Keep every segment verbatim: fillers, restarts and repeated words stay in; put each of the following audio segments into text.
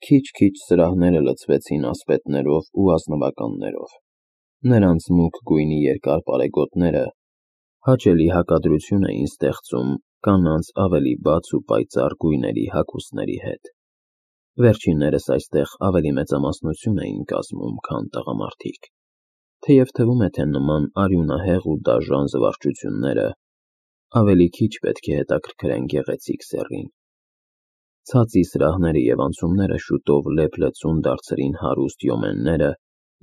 Քիչ-քիչ սրահները լցվեցին ասպետներով ու ազնվականներով։ Նրանց մուգ գույնի երկար պարեգոտները հաճելի հակադրություն էին ստեղծում կանանց ավելի բաց ու պայծառ գույների հագուստների հետ։ Վերջիններս այստեղ ավելի մեծամասնություն էին կազմում, քան տղամարդիկ, թեև թվում է, թե նման արյունահեղ ու դաժան զվարճությունները ավելի քիչ պետք է հետաքրքրեն գեղեցիկ սեռին։ Ցածի սրահները և անցումները շուտով լեփ-լեցուն դարձրին հարուստ յոմենները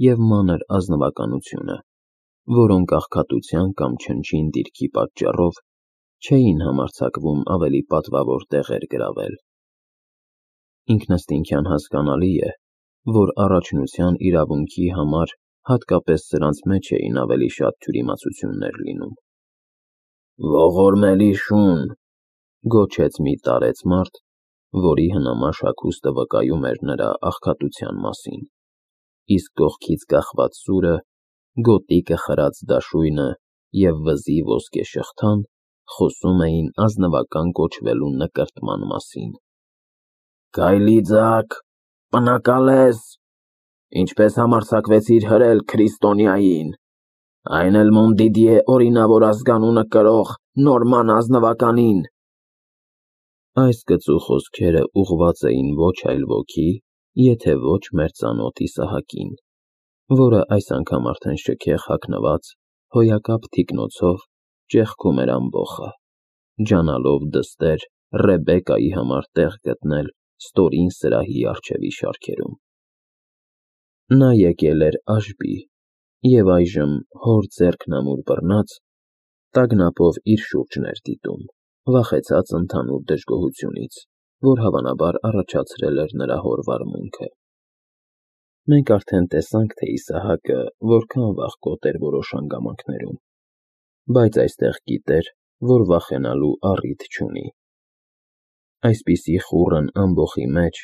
և մանր ազնվականությունը, որոնք աղքատության կամ չնչին դիրքի պատճառով չէին համարձակվում ավելի պատվավոր տեղեր գրավել։ Ինքնըստինքյան հասկանալի է, որ առաջնության իրավունքի համար հատկապես սրանց մեջ էին ավելի շատ թյուրիմացություններ լինում։ «Ողորմելի շուն», գոչեց մի տարեց մարդ, որի հնամաշ հագուստը վկայում էր նրա աղքատության մասին, իսկ կողքից կախված սուրը, գոտիկը խրած դաշույնը և վզի ոսկե շղթան խոսում էին ազնվական կոչվելու նկրտման մասին։ «Գայլի ձագ, պնակալես, ինչպես համարձակվեցիր հրել քրիստոնյային, այն էլ Մոնդիդիե օրինավոր ազգանունը կրող նորման ազնվականին»։ Այս կծու խոսքերը ուղղված էին ոչ այլ ոքի, եթե ոչ մեր ծանոթ Իսահակին, որը այս անգամ արդեն շքեղ հագնված, հոյակապ թիկնոցով ճեղքում էր ամբոխը, ջանալով դստեր Ռեբեկայի համար տեղ գտնել ստորին սրահի առջևի շարքերում։ Նա եկել էր Աշբի և այժմ, հոր ձեռքն ամուր բռնած, տագնապով իր շուրջն էր դիտում, վախեցած ընդհանուր դժգոհությունից, որ հավանաբար առաջացրել էր նրա հոր վարմունքը։ Մենք արդեն տեսանք, թե Իսահակը որքան վախկոտ էր որոշ հանգամանքներում, բայց այստեղ գիտեր, որ վախենալու առիթ չունի։ Այսպիսի խուռն ամբոխի մեջ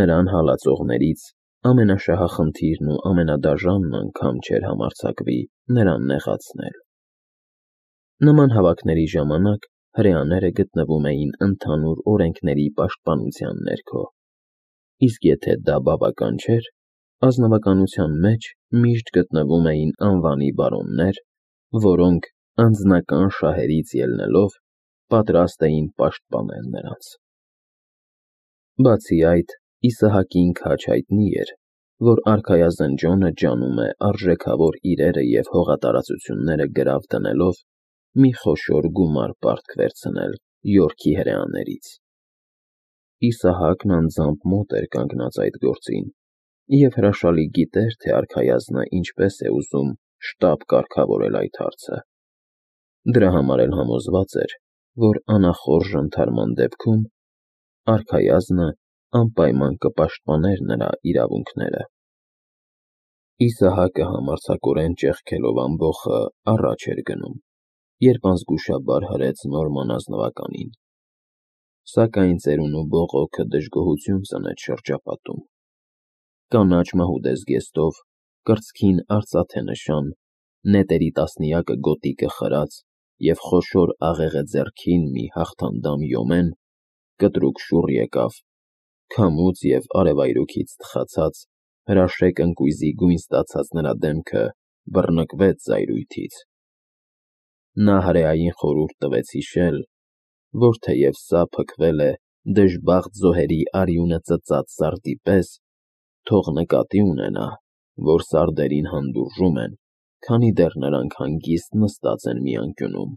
նրան հալածողներից ամենաշահախնդիրն ու ամենադաժանն անգամ չէր համարձակվի նրան նեղացնել։ Նման հավաքների ժամանակ հրեաները գտնվում էին ընդհանուր օրենքների պաշտպանության ներքո, իսկ եթե դա բավական չէր, ազնվականության մեջ միշտ գտնվում էին անվանի բարոններ, որոնք, անձնական շահերից ելնելով, պատրաստ էին պաշտպանել նրանց։ Բացի այդ, Իսահակին քաջ հայտնի էր, որ արքայազն Ջոնը ջանում է արժեքավոր իրերը և հողատարածությունները գրավ դնելով մի խոշոր գումար պարտք վերցնել Յորքի հրեաներից։ Իսահակն անձամբ մոտ էր կանգնած այդ գործին և հրաշալի գիտեր, թե արքայազնը ինչպես է ուզում շտապ կարգավորել այդ հարցը։ Դրա համար էլ համոզված էր, որ անախորժ ընդհարման դեպքում արքայազնը անպայման կպաշտպաներ նրա իրավունքները։ Իսահակը համարձակորեն ճեղքելով ամբոխը առաջ էր գնում, երբ անզգուշաբար հրեց Նորման ազնվականին։ Սակայն ծերունու բողոքը դժգոհություն ծնեց շրջապատում։ Կանաչ մահուդե զգեստով, կրծքին արծաթե նշան, նետերի տասնյակը գոտիկը խրած և խոշոր աղեղը ձեռքին մի հաղթանդամ յոմեն, կտրուկ շուռ եկավ, քամուց և արևայրուքից թխացած, հրաշեկ ընկույզի գույն ստացած նրա դեմքը բռնկվեց զայրույթից։ Նա հրեային խորհուրդ տվեց հիշել, որ թեև սա փքվել է դժբախտ զոհերի արյունը ծծած սարդի պես, թող նկատի ունենա, որ սարդերին հանդուրժում են, քանի դեռ նրանք հանգիստ նստած են մի անկյունում,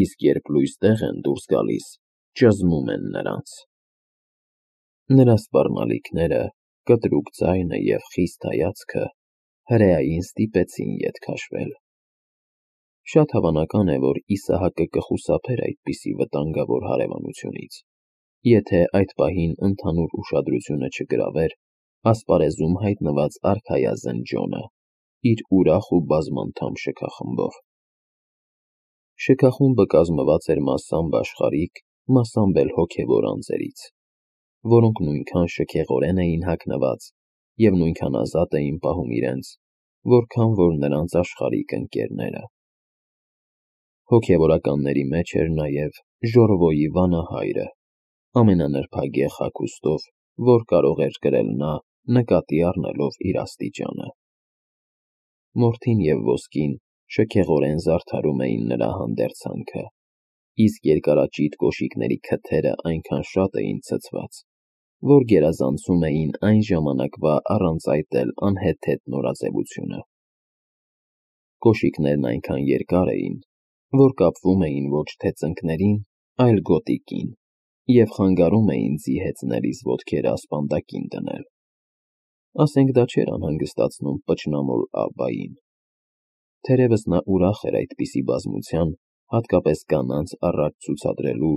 իսկ երբ լույս տեղ են դուրս գալիս, ճզմում են նրանց։ Նրա սպառնալիքները, կտրուկ ձայնը և խիստ հայացքը հրեային ստիպեցին ետ քաշվել։ Շատ հավանական է, որ Իսահակը կխուսափեր այդպիսի վտանգավոր հարևանությունից, եթե այդ պահին ընդհանուր ուշադրությունը չգրավեր ասպարեզում հայտնված արքայազն Ջոնը իր ուրախ ու բազմանդամ շքախմբով։ Շքախումբը կազմված էր մասամբ աշխարհիկ, մասամբ էլ հոգևոր անձերից, որոնք նույնքան շքեղորեն էին հագնված և նույնքան ազատ էին պահում իրենց, որքան որ նրանց աշխարհիկ ընկերները։ Հոգևորականների մեջ էր նաև Ժորովոյի վանահայրը, ամենանրբագեղ հագուստով որ կարող էր կրել նա, նկատի առնելով իր աստիճանը։ Մորթին և ոսկին շքեղորեն զարդարում էին նրա հանդերձանքը, իսկ երկարաճիտ կոշիկների քթերը այնքան շատ էին ցցված, որ գերազանցում էին այն ժամանակվա առանց այդ էլ անհեթեթ նորաձևությունը։ Կոշիկներն այնքան երկար էին, որ կապվում էին ոչ թե ծնկներին, այլ գոտիկին, և խանգարում էին ձիհեծնելիս ոտքերը ասպանդակին դնել։ Ասենք դա չէր անհանգստացնում պճնամոլ Աբբային։ Թերևս նա ուրախ էր այդպիսի բազմության, հատկապես կանանց առաջ ցուցադրելու,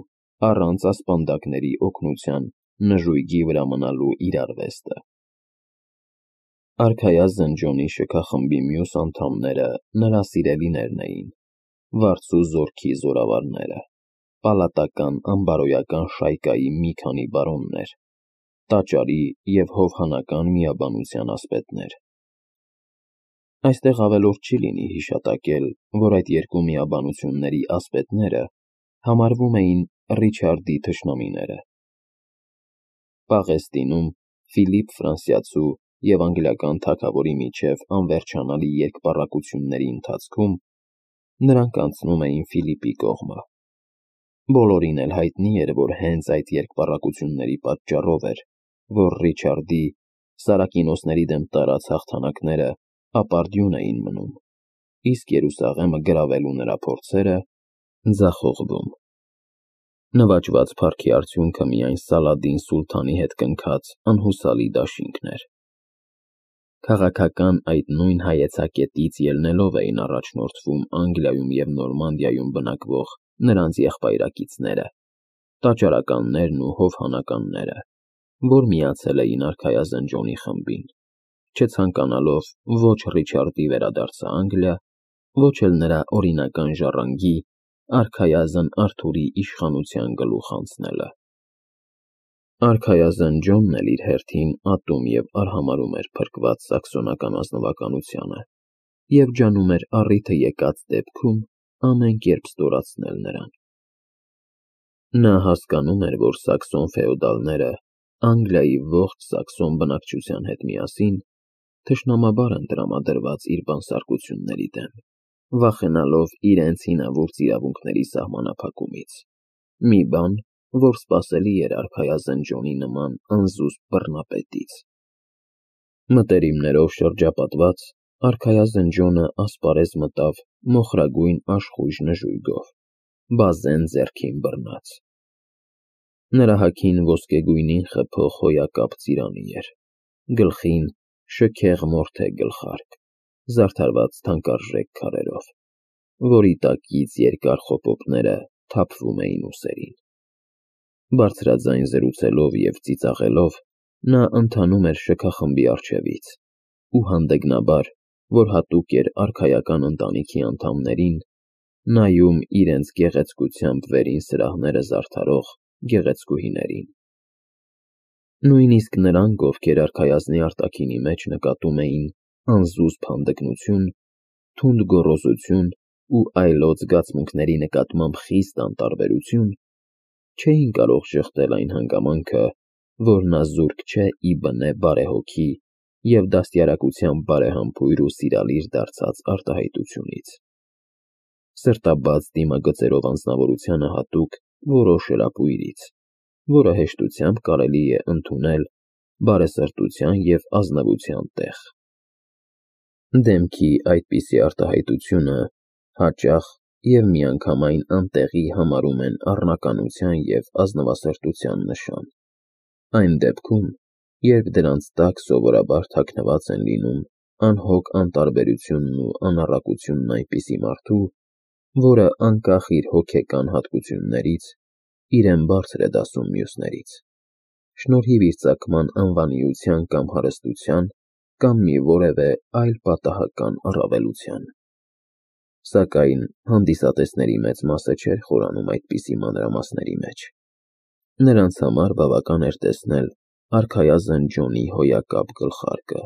առանց ասպանդակների օգնության նժույգի վրա մնալու իր արվեստը։ Արքայազն Ջոնի շքախմբի մյուս անդամները նրա սիրելիներն էին, վարձու զորքի զորավարները, պալատական անբարոյական շայկայի մի քանի բարոններ, տաճարի և հովհանական միաբանության ասպետներ։ Այստեղ ավելորդ չի լինի հիշատակել, որ այդ երկու միաբանությունների ասպետները համարվում էին Ռիչարդի թշնամիները։ Պաղեստինում Ֆիլիպ Ֆրանսիացու և անգլիական թագավորի միջև անվերջանալի երկպառակությունների ընթացքում նրանք անցնում էին Ֆիլիպի կողմը։ Բոլորին էլ հայտնի էր, որ հենց այդ երկպառակությունների պատճառով էր, որ Ռիչարդի սարակինոսների դեմ տարած հաղթանակները ապարդյուն էին մնում, իսկ Երուսաղեմը գրավելու նրա փորձերը ձախողվում։ Նվաճված փառքի արդյունքը միայն Սալադին սուլթանի հետ կնքած անհուսալի դաշինքն էր։ Քաղաքական այդ նույն հայեցակետից ելնելով էին առաջնորդվում Անգլիայում և Նորմանդիայում բնակվող նրանց եղբայրակիցները, տաճարականներն ու հովհանականները, որ միացել էին արքայազն Ջոնի խմբին, չցանկանալով ոչ Ռիչարդի վերադարձը Անգլիա, ոչ էլ նրա օրինական ժառանգի՝ արքայազն Արթուրի իշխանության գլուխ անցնելը։ Արքայազն Ջոնն էլ իր հերթին ատում և արհամարհում էր փրկված սաքսոնական ազնվականությանը և ջանում էր առիթը եկած դեպքում ամեն կերպ ստորացնել նրան։ Նա հասկանում էր, որ սաքսոն ֆեոդալները Անգլիայի ողջ սաքսոն բնակչության հետ միասին թշնամաբար են տրամադրված իր բանսարկությունների դեմ, վախենալով իրենց հինավուրց իրավունքների սահմանափակումից, մի բան, որ սպասելի էր արքայազն Ջոնի նման անզուսպ բռնապետից։ Մտերիմներով շրջապատված՝ արքայազն Ջոնը ասպարեզ մտավ մոխրագույն աշխույժ նժույգով, բազեն ձեռքին բռնած։ Նրա հագին ոսկեգույնին խփող հոյակապ ծիրանի էր, գլխին շքեղ մորթե գլխարկ, զարդարված թանկարժեք քարերով, որի տակից երկար խոպոպները թափվում էին ուսերին։ Բարձրաձայն զրուցելով և ծիծաղելով՝ նա ընթանում էր շքախմբի առջևից ու հանդգնաբար, որ հատուկ էր արքայական ընտանիքի անդամներին, նայում իրենց գեղեցկությամբ վերին սրահները զարդարող գեղեցկուհիներին։ Նույնիսկ նրանք, ովքեր արքայազնի արտաքինի մեջ նկատում էին անզուսպ հանդգնություն, թունդ գոռոզություն ու այլոց զգացմունքների նկատմամբ խիստ անտարբերություն, չէին կարող ժխտել այն հանգամանքը, որ նա զուրկ չէ ի բնե բարեհոգի և դաստիարակության բարեհամբույր ու սիրալիր դարձած արտահայտությունից։ Սրտաբաց դիմագծերով անձնավորությանը հատուկ որոշ հրապույրից, որը հեշտությամբ կարելի է ընդունել բարեսրտության և ազնվության տեղ։ Դեմքի այդպիսի արտահայտությունը հաճախ և միանգամայն անտեղի համարում են առնականության և ազնվասրտության նշան, այն դեպքում, երբ դրանց տակ սովորաբար թաքնված են լինում անհոգ անտարբերությունն ու անառակությունն այնպիսի մարդու, որը անկախ իր հոգեկան հատկություններից իրեն բարձր է դասում մյուսներից, շնորհիվ իր ծագման անվանիության կամ հարստության կամ մի որևէ այլ պատահական առավելության։ Սակայն հանդիսատեսների մեծ մասը չէր խորանում այդպիսի մանրամասների մեջ։ Նրանց համար բավական էր տեսնել արքայազն Ջոնի հոյակապ գլխարկը,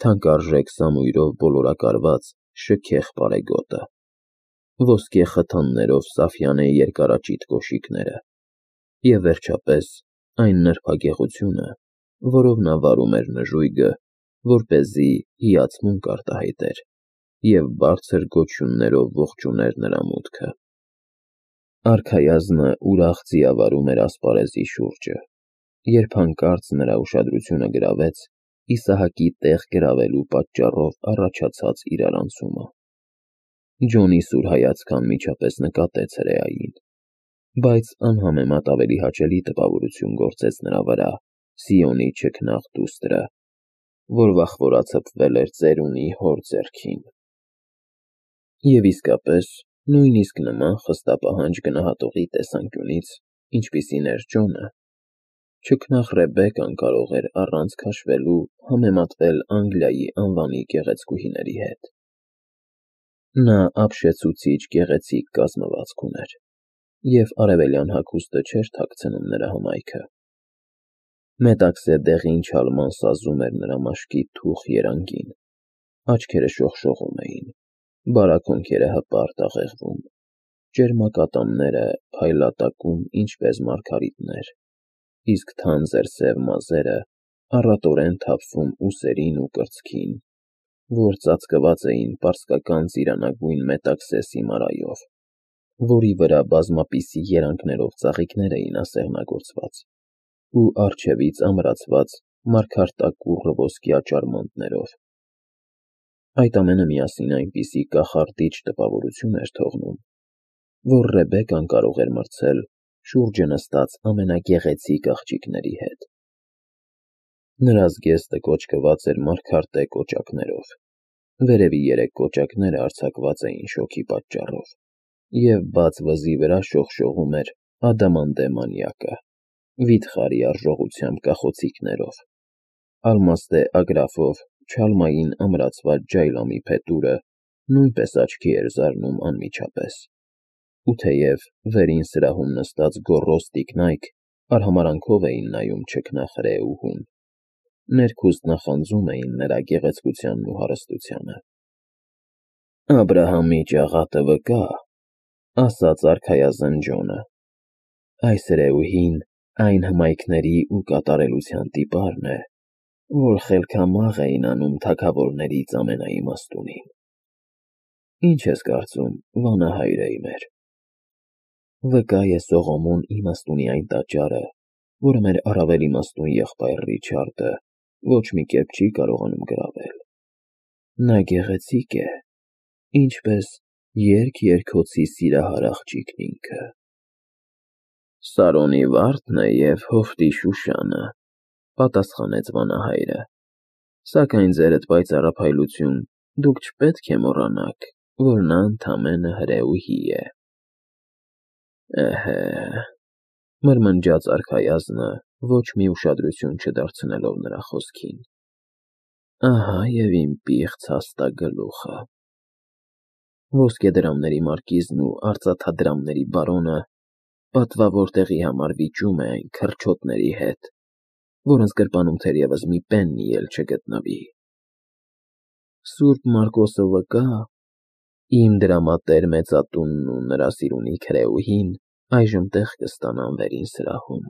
թանկարժեք սամույրով բոլորակարված շքեղ պարեգոտը, ոսկե խթաններով սաֆյանե երկարաճիտ կոշիկները և, վերջապես, այն նրբագեղությունը, որով նա վարում էր նժույգը, որպեսզի հիացմունք արտահայտեր, և բարձր գոչյուններով ողջուներ նրա մուտքը։ Արքայազնը ուրախ ձիավարում էր ասպարեզի շուրջը, երբ հանկարծ նրա ուշադրությունը գրավեց Իսահակի տեղ գրավելու պատճառով առաջացած իրարանցումը։ Ջոնի սուր հայացքը անմիջապես նկատեց հրեային, բայց անհամեմատ ավելի հաճելի տպավորություն գործեց նրա վրա Սիոնի չքնաղ դուստրը, որ վախվորացպվել էր ծերունի հոր ձեռքին։ Եվ իսկապես, նույնիսկ նման խստապահանջ գնահատողի տեսանկյունից, ինչպիսին էր Ջոնը, չքնաղ Ռեբեկան կարող էր առանց քաշվելու համեմատվել Անգլիայի անվանի գեղեցկուհիների հետ։ Նա ապշեցուցիչ գեղեցիկ կազմվածք ուներ, և արևելյան հագուստը չէր թաքցնում նրա հմայքը։ Մետաքսե դեղին չալման սազում էր նրա մաշկի թուխ երանգին, աչքերը շողշողում էին, բարակ հոնքերը հպարտ աղեղվում, ճերմակատամները փայլատակում ինչպես մարգարիտներ, իսկ թանձր սև մազերը առատորեն թափվում ուսերին ու կրծքին, որ ծածկված էին պարսկական ծիրանագույն մետաքսե սիմարայով, որի վրա բազմապիսի երանգներով ծաղիկներ էին ասեղնագործված, ու առջևից ամրացված մարգարտակուռ ոսկյա ճարմանտներով։ Այդ ամենը միասին այնպիսի կախարդիչ տպավորություն էր թողնում, որ Ռեբեկան կարող էր մրցել շուրջը նստած ամենագեղեցիկ աղջիկների հետ։ Նրա զգեստը կոճկված էր մարգարտե կոճակներով, վերևի երեք կոճակները արձակված էին շոգի պատճառով, և բաց վզի վրա շողշողում էր ադամանդե մանյակը, վիթխարի արժողությամբ կախոցիկներով, ալմաստե ագրաֆով չալմային ամրացված ջայլամի փետուրը նույնպես աչքի էր զարնում անմիջապես, ու թեև վերին սրահում նստած գոռոզ տիկնայք արհամարհանքով էին նայում չքնաղ հրեուհուն, ներքուստ նախանձում էին նրա գեղեցկությանն ու հարստությանը։ «Աբրահամի ճաղատը վկա», ասաց արքայազն Ջոնը, «այս հրեուհին այն հմայքների ու կատարելության տիպարն է, որ խելքամաղ էին անում թագավորներից ամենաիմաստունին։ Ի՞նչ ես կարծում, վանահայրե մեր։ Վկա է Սողոմոն իմաստունի այն տաճարը, որը մեր առավել իմաստուն եղբայր Ռիչարդը ոչ մի կերպ չի կարողանում գրավել։ Նա գեղեցիկ է, ինչպես երգ-երգոցի սիրահար աղջիկն ինքը»։ «Սարոնի վարդն է և Հովտի Շուշանը», պատասխանեց վանահայրը, «սակայն ձերդ պայծառափայլություն, դուք չպետք է մոռանաք, որ նա ընդամենը հրեուհի է»։ «Էհե», մրմնջաց արքայազնը, ոչ մի ուշադրություն չդարձնելով նրա խոսքին, «ահա և իմ պիղծ հաստագլուխը։ Ոսկեդրամների մարկիզն ու արծաթադրամների բարոնը պատվավոր տեղի համար վիճում է այն քրչոտների հետ, որոնց գրպանում թերևս մի պեննի էլ չգտնվի։ Սուրբ Մարկոսը վկա, իմ դրամատեր մեծատունն ու նրա սիրունիկ հրեուհին այժմ տեղ կստանան վերին սրահում»։